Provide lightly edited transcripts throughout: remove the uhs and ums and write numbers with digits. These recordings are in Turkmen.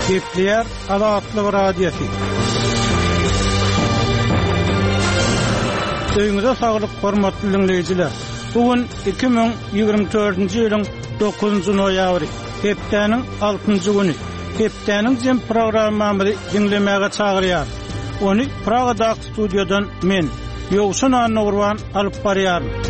Gepleýär Azatlyk Radiosy. Öýüňize saglyk hormatly diňleýjiler. Bu gün 2024-nji ýylyň 9-njy noýabry, hepdäniň altynjy güni. Hepdäniň jem programmamyzy diňlemäge çagyrýarys. Ony Pragadaky studiýadan men, Ýowşan Annagurban alyp barýaryn.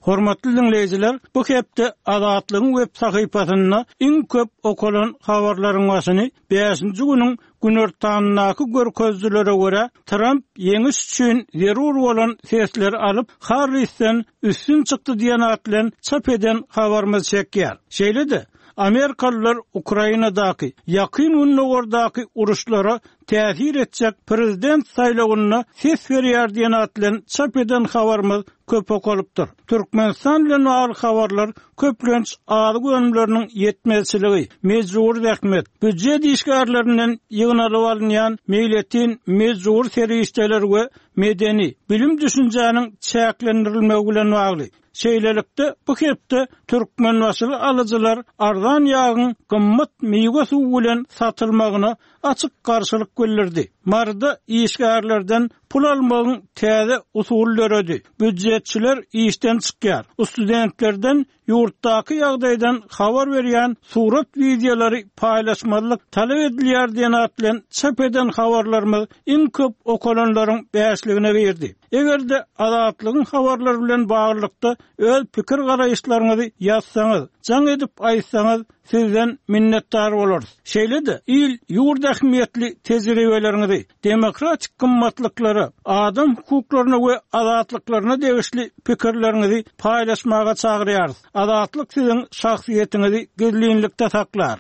Hormatly diňleýjiler, bu hepde Azatlygyň web sahypasynda iň köp okalan habarlaryň başyny bäşinji günüň günortanyndaky görkezijilere görä, Tramp ýeňiş üçin zerur bolan sesleri alyp, Harrisden üstün çykdy diýen at bilen çap eden habarymyz çekýär. Şeýle-de, amerikalylar Ukrainadaky, Ýakyn Gündogardaky uruşlara täsir etjek prezident saýlawynda ses berýär diýen at bilen çap eden habarymyz köp okalypdyr. Türkmenistan bilen bagly habarlar köplenç azyk önümleriniň ýetmezçiligi, mejbury zähmet, býujet işgärlerinden ýygnalyp alynýan meýletin mejbury serişdeler we medeni, bilim-düşünjäniň çäklendirilmegi bilen bagly. Şeýlelikde, bu hepde türkmenbaşyly alyjylar arzan ýagyň gymmat miwe suwy bilen satylmagyna açyk garşylyk bildirdi. Maryda işgärlerden pul almagyň täze usuly döredi. Býujetçiler işden çykýar. Studentlerden ýurtdaky ýagdaýdan habar berýän surat-wideolary paýlaşmazlyk talap edilýär diýen at bilen çap eden habarlarymyz iň köp okalanlaryň bäşligine girdi. Eger-de Azatlygyň habarlary bilen baglylykda öz pikir-garaýyşlaryňyzy ýazsaňyz, jaň edip aýtsaňyz, sizden minnetdar bolarys. Şeýle-de, il-ýurt ähmiýetli tejribeleriňizi, demokratik gymmatlyklara, adam hukuklaryna we azatlyklaryna degişli pikirleriňizi paýlaşmaga çagyrýarys. Azatlyk siziň şahsyýetiňizi gizlinlikde saklar.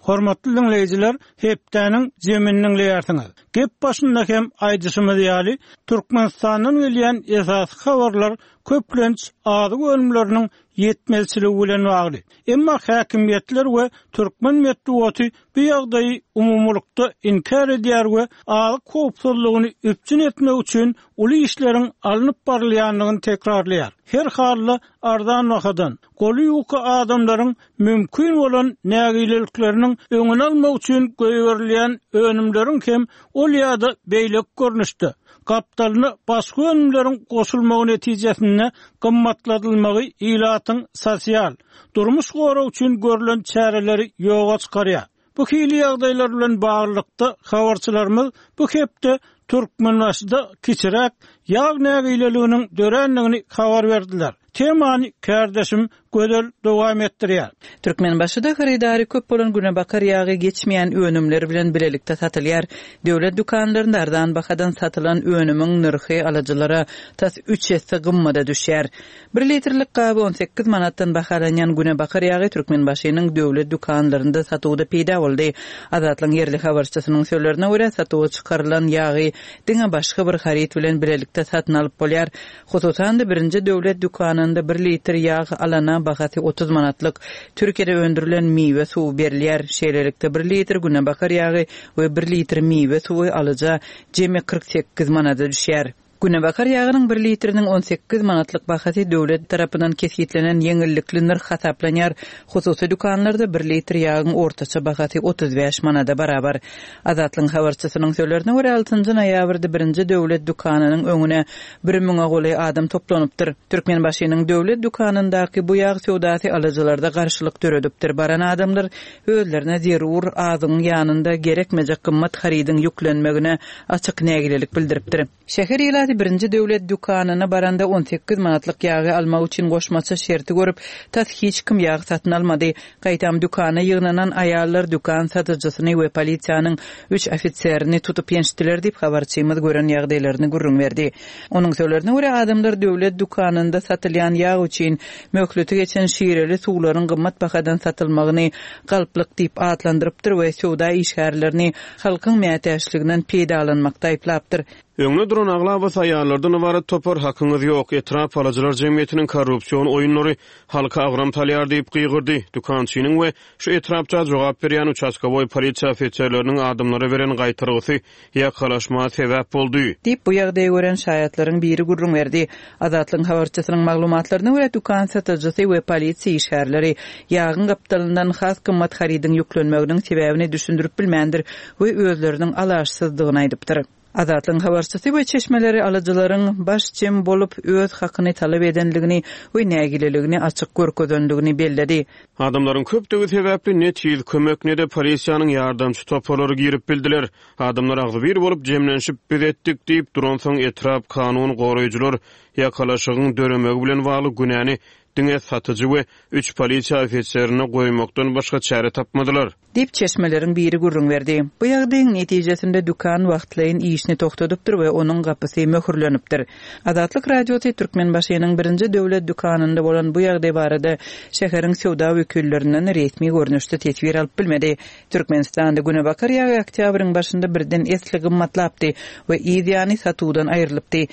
Hormatly diňleýjiler, hepdäniň jemini diňleýärsiňiz. Gep başynda hem aýdyşymyz ýaly, Türkmenistandan gelýän esasy habarlar köplenç azyk önümleriniň ýetmezçiligi bilen bagly. Emma häkimiýetler we türkmen metbugaty bu ýagdaýy umumylykda inkär edýär we azyk howpsuzlygyny üpjün etmek üçin uly işleriň alnyp barylýandygyny tekrarlaýar. Her halda arzan bahadan, goly ýuka adamlaryň mümkin bolan nägilelikleriniň öňüni almak üçin goýberilýän önümleriň hem ol ýa-da beýleki görnüşde, gapdalyna başga önümleriň goşulmagy netijesinde gymmatladylmagy ilatyň sosial, durmuş goragy üçin görlen çäreleri ýoga çykarýar. Bu hili ýagdaýlar bilen baglylykda, habarçylarymyz bu hepde Türkmenbaşyda kiçiräk ýag nägileliginiň dörändigini habar berdiler. Temany kärdeşim Gözel dowam etdirýär. Türkmenbaşyda hyrydary köp bolan günebakar ýagy geçmeýän önümler bilen bilelikde satylýar. Döwlet dükanlarynda arzan bahadan satylan önümiň nyrhy alyjylara tas üç esse gymmada düşýär. Bir litrlik gaby 18 manatdan bahalanýan günebakar ýagy Türkmenbaşynyň döwlet dükanlarynda satuwda peýda boldy. Azatlygyň ýerli habarçysynyň sözlerine görä, satuwa çykarylan ýagy diňe başga bir haryt bilen bilelikde satyn alyp bolýar. Hususan-da, birinji döwlet dükanynda bir litr ýag alana bahasy 30 manatlyk Türkiýede öndürilen miwe suwy berilýär. Şeýlelikde, bir litr günebakar ýagy we bir litr miwe suwy alyja jemi 48 manada düşýär. Günebakar ýagynyň bir litriniň 18 manatlyk bahasy döwlet tarapyndan kesgitlenen ýeňillikli nyrh hasaplanýar. Hususy dükanlarda bir litr ýagyň ortaça bahasy 35 manada barabar. Azatlygyň habarçysynyň sözlerine görä, altynjy noýabrda birinji döwlet dükanynyň öňüne bir müňe golaý adam toplanypdyr. Türkmenbaşynyň döwlet dükanyndaky bu ýag söwdasy alyjylarda garşylyk döredipdir. Baran adamlar özlerine zerur azygyň ýanynda gerekmejek gymmat harydyň ýüklenmegine açyk nägilelik bildiripdir. Şäher ilaty birinji döwlet dükanyna baranda 18 manatlyk ýagy almak üçin goşmaça şerti görüp, tas hiç kim ýag satyn almady. Gaýtam dükana ýygnanan aýallar dükan satyjysyny we polisiýanyň üç ofiserini tutup ýençdiler diýip, habarçymyz gören ýagdaýlaryny gürrüň berdi. Onuň sözlerine görä, adamlar döwlet dükanynda satylýan ýag üçin möhleti geçen şireli suwlaryň gymmat bahadan satylmagyny galplyk diýip atlandyrypdyr we söwda işgärlerini halkyň mätäçliginden peýdalanmakda aýyplapdyr. Öňde duran aglabasy aýallardan ybarat topar Hakyňyz ýok, etrap alyjylar jemgyýetiniň korrupsion oýunlary halka agram salýar diýip gygyrdy. Dükançynyň we şu etrapça jogap berýän uçastkowoý polisiýa ofiserleriniň adamlara beren gaýtargysy ýakalaşma sebäp boldy. Diýip, bu ýagdaýy gören şaýatlaryň biri gürrüň berdi. Azatlygyň habarçysynyň maglumatlaryna görä, dükan satyjysy we polisiýa işgärleri ýagyň gapdalyndan has gymmat harydyň ýüklenmeginiň sebäbini düşündirip bilmändir we özleriniň alaçsyzdygyny aýdypdyr. Azatlygyň habarçysy we çeşmeleri alyjylaryň baş jem bolup, öz hakyny talap edendigini we nägileligini açyk görkezendigini belledi. Adamlaryň köpdügi sebäpli ne tiz kömek, ne-de polisiýanyň ýardamçy toparlary girip bildiler. Adamlar agzybir bolup jemlenişip, biz etdik diýip duransoň etrap kanun goraýjylar ýakalaşygyň döremegi bilen bagly günäni diňe satyjy we üç polisiýa ofiserine goýmakdan başga çäre tapmadylar. Diýip, çeşmeleriň biri gürrüň berdi. Bu ýagdaýyň netijesinde dükan wagtlaýyn işini togtadypdyr we onuň gapysy möhürlenipdir. Azatlyk Radiosy Türkmenbaşynyň birinji döwlet dükanynda bolan bu ýagdaý barada şäheriň söwda wekillerinden resmi görnüşde teswir alyp bilmedi. Türkmenistanda günebakar ýagy oktýabryň başynda birden esli gymmatlapdy we yz ýany satuwdan aýrylypdy.